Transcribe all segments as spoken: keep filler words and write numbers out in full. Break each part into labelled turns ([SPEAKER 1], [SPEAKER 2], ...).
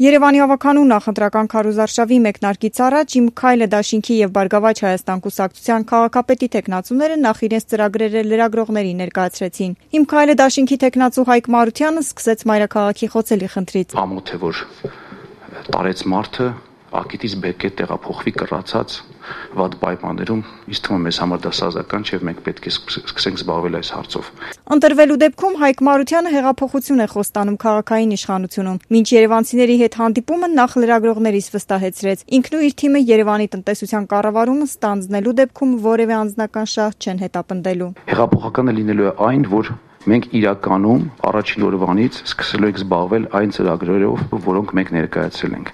[SPEAKER 1] Երևանի ավականու նախընտրական քարոզարշավի մեկնարկից առաջ «Իմ քայլը» դաշինքի եւ «Բարգավաճ Հայաստան» կուսակցության քաղաքապետի թեկնածուները նախ իրենց ծրագրերը լրագրողներին ներկայացրեցին։ «Իմ քայլը» դաշինքի թեկնածու Հայկ Մարությանը սկսեց մայրաքաղաքի խոցելի խնդրից։
[SPEAKER 2] Ամոթ է, որ տարեց մարդը ակիտից բեկե տեղափոխվի կռացած վատ պայմաններում, ինձ թվում է մեզ համար դա սազական չէ, մենք պետք է սկսենք զբաղվել այս հարցով։
[SPEAKER 1] Ընտրվելու դեպքում Հայկ Մարությանը հեղափոխություն է խոստանում քաղաքային իշխանությունում։ Մինչ երևանցիների հետ հանդիպումը նախ լրագրողներից վստահեցրեց։ Ինքն ու իր թիմը Երևանի տնտեսության կառավարումը ստանձնելու դեպքում որևէ անձնական շահ չեն հետապնդելու։
[SPEAKER 2] Հեղափոխականը լինելու է այն, որ մենք իրականում առաջին օրվանից սկսելու ենք զբաղվել այն ծրագրերով, որոնք մենք ներկայացրել ենք։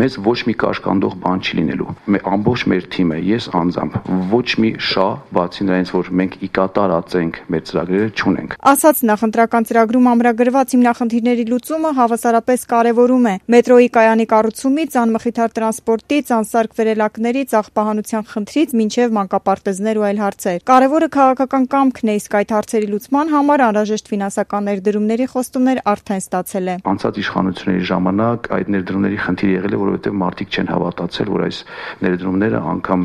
[SPEAKER 2] Մեզ ոչ մի կաշկանդող բան չի լինելու։ Ամբողջ մեր թիմը, ես անձամբ, ոչ մի շահ, բացի նրանից, որ մենք ի կատարածենք մեր ծրագրերը, չունենք։
[SPEAKER 1] Ասաց նախընտրական ծրագրում ամրագրված հիմնախնդիրների լուծումը հավասարապես կարևորում է։ Մետրոյի կայանի կառուցումից, անմխիթար տրանսպորտից, անսարք վերելակներից, աղբահանության խնդրից մինչև մանկապարտեզներ ու այլ հարցեր։ Կարևորը քաղաքական կամքն է, իսկ այդ հարցերի լուծման համար անհրաժեշտ ֆինանսական ներդրումների խոստումներ արդեն ստացել է։
[SPEAKER 2] Անցած իշխանությունների ժամանակ այդ ներդրումների խնդիր եղել է, որովհետև մարդիկ չեն հավատացել, որ այս ներդրումները անգամ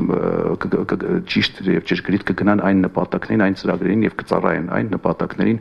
[SPEAKER 2] ճիշտ եւ ճշգրիտ կգնան այն նպատակներին, այն ծրագրերին եւ կծառայեն այն նպատակներին,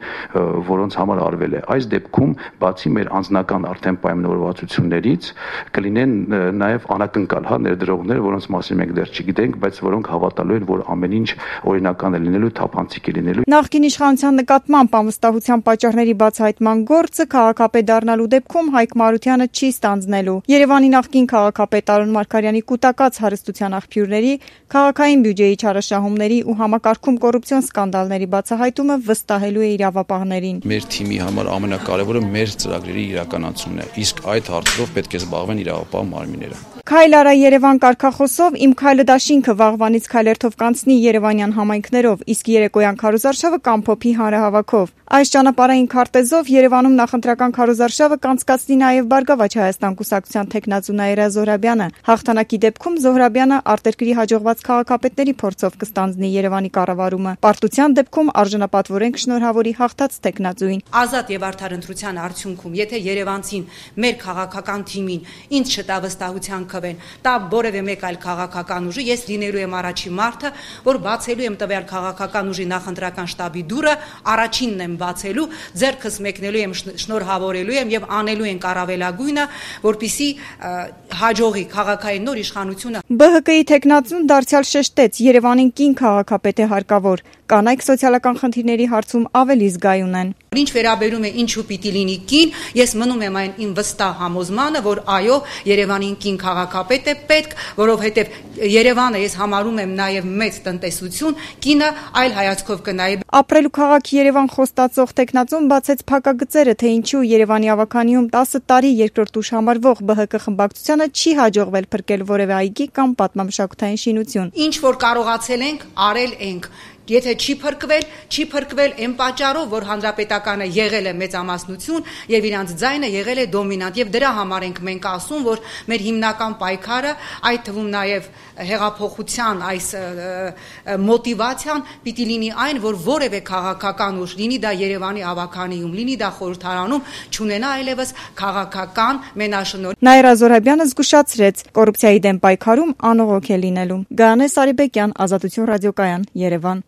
[SPEAKER 2] որոնց համար արվել է։ Այս դեպքում, բացի մեր անձնական արդեն պայմանավորվածություններից, կլինեն նաեւ անակնկալ հա ներդրողներ, որոնց մասին մենք դեռ չգիտենք, բայց որոնք հավատալու են, որ ամեն ինչ օրինական է լինելու, թափանցիկ է լինելու։
[SPEAKER 1] Նախկին իշխանության նկատմամբ անվստահության պատճառների բացահայտման գործը քաղաքապետ դառնալու դեպքում Հայկ Մարությանը չի ստանձնելու։ Երևանի նախկին քաղաքապետ Արոն Մարգարյանի կուտակած հարստության աղբյուրների, քաղաքային բյուջեի չարաշահումների ու համակարգում կոռուպցիոն սկանդալների բացահայտումը վստահելու է իրավապահներին։
[SPEAKER 3] Մեր թիմի համար ամենակարևորը մեր ծրագրերի իրականացումն է, իսկ այդ հարցով պետք է զբաղվեն իրավապահ մարմինները։
[SPEAKER 1] Քայլ արա Երևան կարգախոսով «Իմ քայլը» դաշինքը վաղվանից քայլերթով կանցնի երևանյան համայնքներով, իսկ երեկոյան քարոզարշավը կամփոփի հանրահավաքով։ Այս ճանապարհային քարտեզով Երևանում նախընտրական քարոզարշավը կանցկացնի նաև Բարգավաճ Հայաստան կուսակցության թեկնածու Նաիրա Զոհրաբյանը։ Հաղթանակի դեպքում Զոհրաբյանը արտերկրի հաջողված քաղաքապետների փորձով կստանձնի Երևանի կառավարումը։ Պարտության դեպքում արժանապատվորեն կշնորհավորի հաղթած թեկնածուին։
[SPEAKER 4] Ազատ եւ արդար ընտրության արդյունքում, եթե Երևանցին մեր քաղաքական թիմին ինձ չտա վստահության քվեն, տա որևէ մեկ այլ քաղաքական ուժի, ես լինելու եմ առաջին մարդը, որ բացելու եմ տվյալ քաղաքական ուժի նախընտրական շտաբի դուռը, առաջինն եմ բացելու, ձեռքս մեկնելու եմ, շնորհավորելու եմ եւ անելու ենք առավելագույնը, որպիսի հաջողի քաղաքային նոր իշխանությունը։
[SPEAKER 1] Բ Հ Կ-ի թեկնածուն դարձյալ շեշտեց, Երևանին կին քաղաքապետ է հարկավոր։ Կանայք սոցիալական խնդիրների հարցում ավելի զգայուն են։
[SPEAKER 4] Ինչ վերաբերում է ինչու պիտի լինի կին, ես մնում եմ այն իմ վստահ համոզմանը, որ այո, Երևանին կին քաղաքապետ է պետք, որովհետև Երևանը ես համարում եմ նաև մեծ տնտեսություն, կինը այլ հայացքով կնայի։
[SPEAKER 1] Ապրելու քաղաք Երևան խոստացող թեկնածուն բացեց փակագծերը, թե ինչու Երևանի ավականիում տասը տարի երկրորդ ուժ համարվող Բ Հ Կ խմբակցությանը չի հաջողվել փրկել որևէ այգի կամ պատմամշակութային շինություն։
[SPEAKER 4] Ինչ որ կարողացել ենք, արել ենք։ Եթե չի փրկվել, չի փրկվել այն պատճառով, որ հանրապետականը եղել է մեծամասնություն եւ իրանց ձայնը եղել է դոմինանտ եւ դրա համար ենք մենք ասում, որ մեր հիմնական պայքարը, այդ թվում նաեւ հեղափոխության այս մոտիվացիան պիտի լինի այն, որ որևէ քաղաքական ուժ, լինի դա Երևանի ավականիում, լինի դա խորհրդարանում, չունենա այլևս քաղաքական մենաշնորհ։
[SPEAKER 1] Նաիրա Զոհրաբյանը զգուշացրեց, կոռուպցիայի դեմ պայքարում անողոք է լինելու։ Գայանե Սարիբեկյան, Ազատություն ռադիոկայան, Երևան։